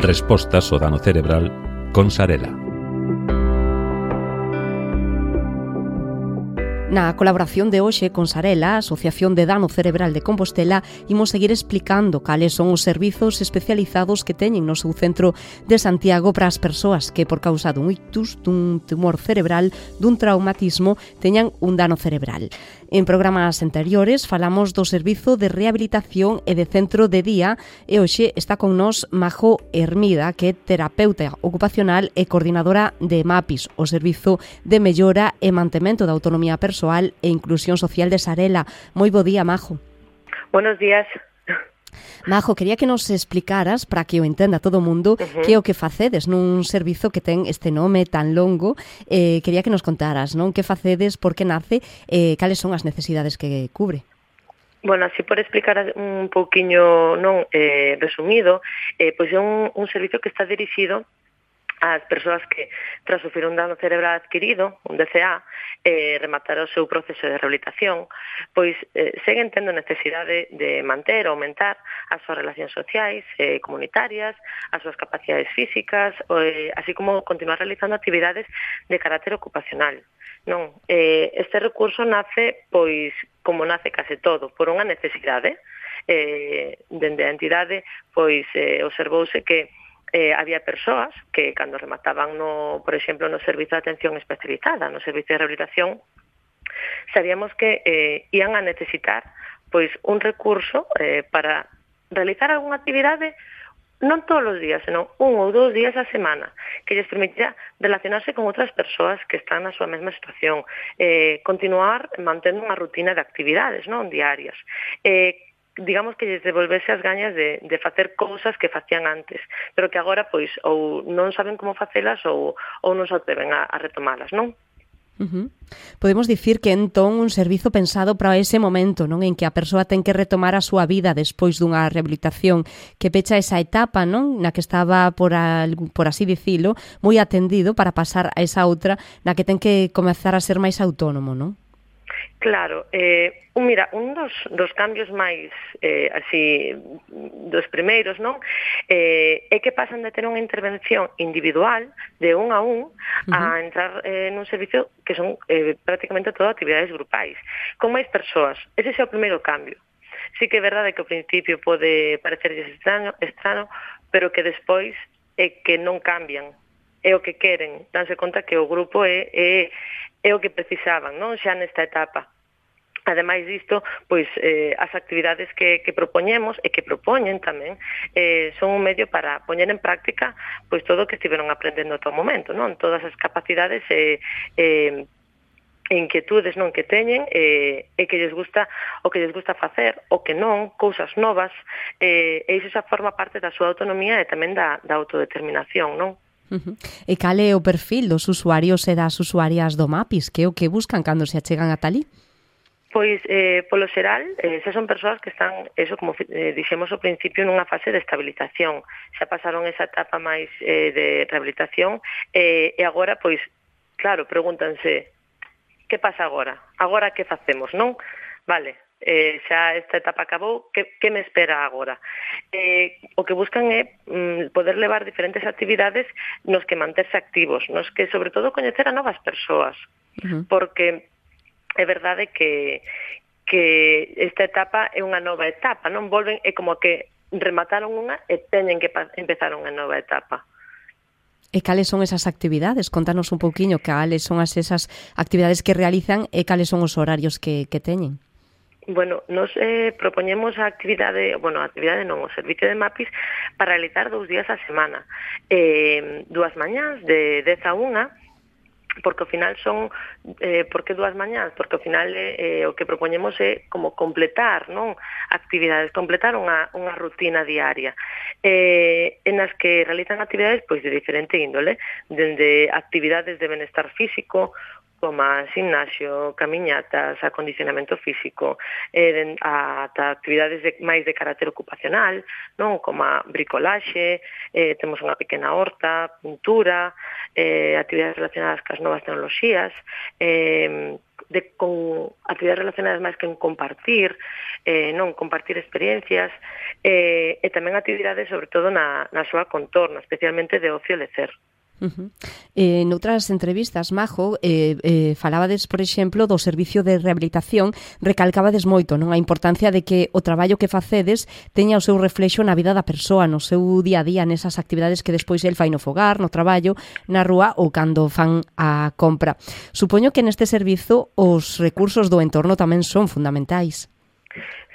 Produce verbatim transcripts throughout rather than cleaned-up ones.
Respostas ao dano cerebral con Sarela. Na colaboración de hoxe con Sarela, a Asociación de Dano Cerebral de Compostela, imos seguir explicando cales son os servizos especializados que teñen no seu centro de Santiago para as persoas que, por causa dun ictus, dun tumor cerebral, dun traumatismo, teñan un dano cerebral. En programas anteriores falamos do servizo de rehabilitación e de centro de día e hoxe está con nós Majo Hermida, que é terapeuta ocupacional e coordinadora de MAPIS, o Servizo de Mellora e Mantemento da Autonomía Persoal e Inclusión Social de Sarela. Moi bo día, Majo. Buenos días. Majo, quería que nos explicaras, para que o entenda todo o mundo, uh-huh. que é o que facedes nun servizo que ten este nome tan longo. Eh, quería que nos contaras, non? Que facedes, por que nace, eh, cales son as necesidades que cubre? Bueno, así por explicar un pouquiño non eh, resumido, eh, pois é un, un servizo que está dirixido ás persoas que, tras sufrir un dano cerebral adquirido, un D C A, eh, rematar o seu proceso de rehabilitación, pois eh, seguen tendo necesidade de manter ou aumentar as súas relacións sociais, eh, comunitarias, as súas capacidades físicas, eh, así como continuar realizando actividades de carácter ocupacional. Non, eh, este recurso nace, pois, como nace case todo, por unha necesidade. Eh, dende a entidade, pois, eh, observouse que Eh, había persoas que, cando remataban, no, por exemplo, no servizo de atención especializada, no servizo de rehabilitación, sabíamos que eh, ian a necesitar pois un recurso eh, para realizar algunha actividade non todos os días, senón un ou dous días a semana, que lles permitía relacionarse con outras persoas que están na súa mesma situación, eh, continuar mantendo unha rutina de actividades non diarias, eh, digamos que lles devolvese as gañas de, de facer cousas que facían antes, pero que agora pois ou non saben como facelas ou, ou non se atreven a, a retomalas, non? Uh-huh. Podemos dicir que entón un servizo pensado para ese momento, non, en que a persoa ten que retomar a súa vida despois dunha rehabilitación, que pecha esa etapa, non, na que estaba por, algo, por así dicilo, moi atendido para pasar a esa outra na que ten que comezar a ser máis autónomo, non? Claro, eh, mira, un dos, dos cambios máis eh, así dos primeiros, non? Eh, é que pasan de ter unha intervención individual de un a un uh-huh. a entrar eh, nun servicio que son eh, prácticamente todas actividades grupais, con máis persoas. Ese é o primeiro cambio. Sí que é verdade que ao principio pode parecerlles extraño, extraño, pero que despois é que non cambian, é o que queren, danse conta que o grupo é, é é o que precisaban, non, xa nesta etapa. Ademais disto, pois eh, as actividades que, que propoñemos e que propoñen tamén eh, son un medio para poñer en práctica pois todo o que estiveron aprendendo ata o momento, non? Todas as capacidades e eh, eh, inquietudes non que teñen eh, e que lles gusta o que lles gusta facer, o que non, cousas novas, eh, e iso xa forma parte da súa autonomía e tamén da, da autodeterminación, non? Uh-huh. E cal é o perfil dos usuarios e das usuarias do MAPIS? Que é o que buscan cando se achegan ata ali? Pois, eh, polo xeral, eh, xa son persoas que están, eso como eh, dixemos ao principio, nunha fase de estabilización. Xa pasaron esa etapa máis eh, de rehabilitación eh, e agora, pois, claro, pregúntanse, que pasa agora? Agora que facemos, non? Vale, eh, xa esta etapa acabou, que, que me espera agora? Eh, o que buscan é mm, poder levar diferentes actividades nos que manterse activos, nos que, sobre todo, coñecer a novas persoas, uh-huh. porque é verdade que, que esta etapa é unha nova etapa, non volven, é como que remataron unha e teñen que pa- empezar unha nova etapa. E cales son esas actividades? Contanos un pouquiño cales son as esas actividades que realizan e cales son os horarios que, que teñen. Bueno, nos eh, propoñemos a actividade, bueno, a actividade non, o servicio de MAPIS para realizar dous días a semana. Eh, dúas mañás de dez a unha, porque ao final son, eh, por que dúas mañás? Porque ao final eh, o que propoñemos é como completar, non? Actividades, completar unha, unha rutina diaria, eh, en as que realizan actividades pois de diferente índole, dende actividades de benestar físico, como a gimnasio, camiñatas, acondicionamento físico, eh, ata actividades de, máis de carácter ocupacional, non, como a bricolaxe, eh, temos unha pequena horta, pintura, eh, actividades relacionadas cas novas tecnoloxías, eh, de con actividades relacionadas máis que en compartir, eh, non compartir experiencias, eh, e tamén actividades sobre todo na, na súa contorno, especialmente de ocio e lecer. Uh-huh. Eh, noutras entrevistas, Majo, eh, eh, falabades, por exemplo, do servicio de rehabilitación, recalcabades moito, non, a importancia de que o traballo que facedes teña o seu reflexo na vida da persoa, no seu día a día, nesas actividades que despois el fai no fogar, no traballo, na rúa ou cando fan a compra. Supoño que neste servizo os recursos do entorno tamén son fundamentais.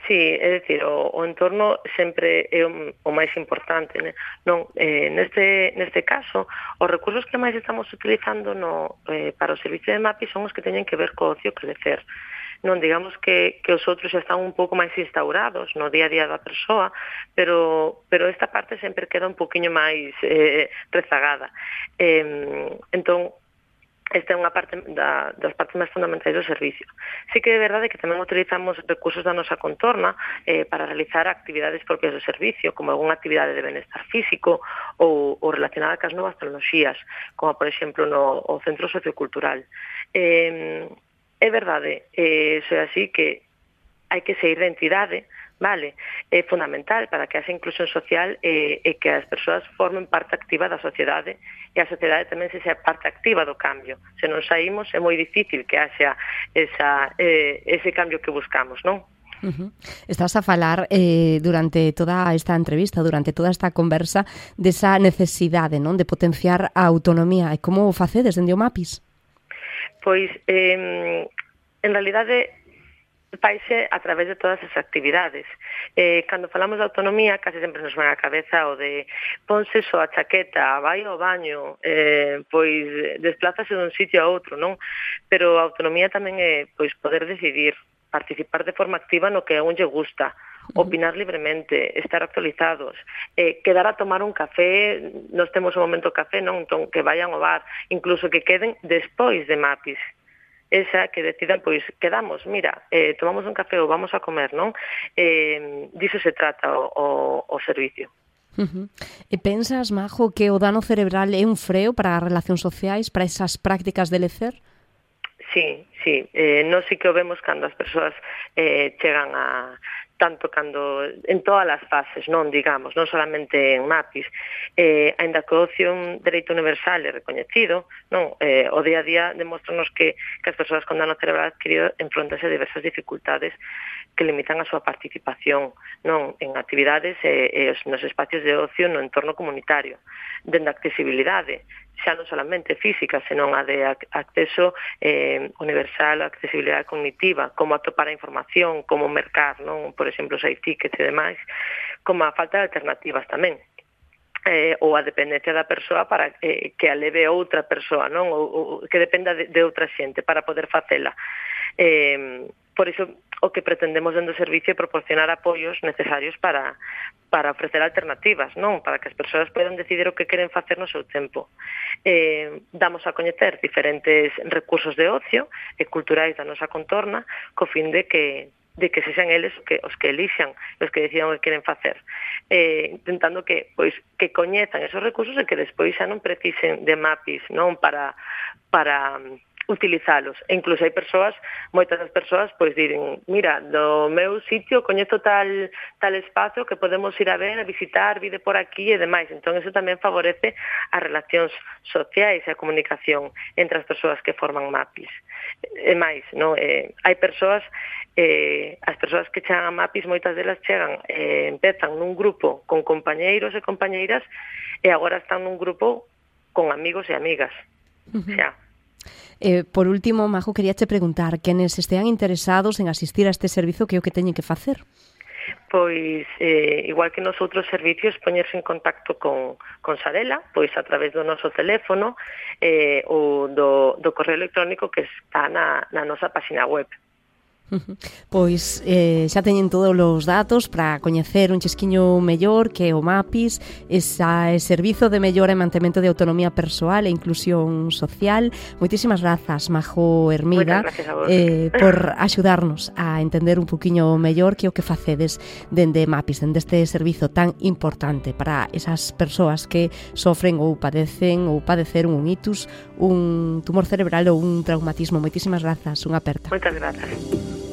Sí, é dicir, o, o entorno sempre é o, o máis importante, né? Non, eh, neste, neste caso, os recursos que máis estamos utilizando no, eh, para o servicio de MAPI son os que teñen que ver co ocio que lecer. Non, digamos que, que os outros xa están un pouco máis instaurados no día a día da persoa, pero, pero esta parte sempre queda un poquinho máis eh, rezagada. Eh, entón, esta é unha parte da, das partes máis fundamentais do servicio. Sí que é verdade que tamén utilizamos recursos da nosa contorna eh, para realizar actividades propias do servicio, como algunha actividade de benestar físico ou, ou relacionada cas novas tecnoloxías, como por exemplo no o Centro Sociocultural. Eh, é verdade, eh, iso é así que hai que seguir da entidade, vale, é fundamental para que haxa inclusión social e, e que as persoas formen parte activa da sociedade e a sociedade tamén se sea parte activa do cambio. Se non saímos é moi difícil que haxa esa, eh, ese cambio que buscamos, non? Uh-huh. Estás a falar eh, durante toda esta entrevista, durante toda esta conversa, desa necesidade, non, de potenciar a autonomía. E como o facedes dende o MAPIS? Pois, eh, en realidade, faise a través de todas as actividades. Eh, cando falamos de autonomía, case sempre nos ven á cabeza o de ponse só a chaqueta, vai ao baño, eh, pois desplázase dun sitio a outro, non? Pero a autonomía tamén é pois poder decidir, participar de forma activa no que a un lle gusta, opinar libremente, estar actualizados, eh, quedar a tomar un café, nos temos un momento café, non? Entón, que vayan ao bar, incluso que queden despois de MAPIS, esa que decidan, pois, quedamos, mira, eh, tomamos un café ou vamos a comer, non? Eh, diso se trata o, o, o servicio. Uh-huh. E pensas, Majo, que o dano cerebral é un freo para as relacións sociais, para esas prácticas de lecer? Sí, sí, eh, non sei que o vemos cando as persoas eh, chegan a tanto cando en todas as fases, non digamos, non solamente en MAPIS, eh, ainda que o ocio un dereito universal e recoñecido, non, eh, o día a día demostranos que, que as persoas con dano cerebral adquirido enfrontanse a diversas dificultades que limitan a súa participación, non, en actividades e, e nos espacios de ocio no entorno comunitario, dende a accesibilidade, xa non solamente física, senón a de acceso eh, universal, a accesibilidade cognitiva, como atopar a información, como mercar, non, por exemplo, os tickets e demais, como a falta de alternativas tamén. Eh, ou a dependencia da persoa para eh, que a leve outra persoa, non, ou, ou que dependa de, de outra xente para poder facela. Eh, por iso o que pretendemos dentro do servicio é proporcionar apoios necesarios para, para ofrecer alternativas, non? Para que as persoas podan decidir o que queren facer no seu tempo. Eh, damos a coñecer diferentes recursos de ocio e culturais da nosa contorna co fin de que de que sexan eles que, os que elixan, os que decidan o que queren facer. Eh, intentando que pois que coñezan esos recursos e que despois xa non precisen de MAPIS, non, para para utilizalos. E incluso hai persoas, moitas das persoas, pois diren, mira, do meu sitio coñezo tal tal espazo que podemos ir a ver, a visitar, vide por aquí e demais. Entón, eso tamén favorece as relacións sociais e a comunicación entre as persoas que forman MAPIS. E máis, non? Eh, hai persoas, eh, as persoas que chegan a MAPIS, moitas delas chegan, eh, empezan nun grupo con compañeiros e compañeiras e agora están nun grupo con amigos e amigas. Uh-huh. Xa. Eh, por último, Majo, queríache preguntar, quenes estean interesados en asistir a este servizo, que é o que teñen que facer? Pois, eh, igual que nos outros servicios, poñerse en contacto con, con Sarela, pois a través do noso teléfono eh, ou do, do correo electrónico que está na, na nosa página web. Pois eh, xa teñen todos os datos para coñecer un chesquiño mellor que o MAPIS, ese servizo de mellora e mantemento de autonomía persoal e inclusión social. Moitísimas grazas, Majo Hermida, eh, por axudarnos a entender un poquinho mellor que o que facedes dende MAPIS, dende este servizo tan importante para esas persoas que sofren ou padecen ou padeceron un itus, un tumor cerebral ou un traumatismo. Moitísimas grazas, unha aperta. Moitas grazas.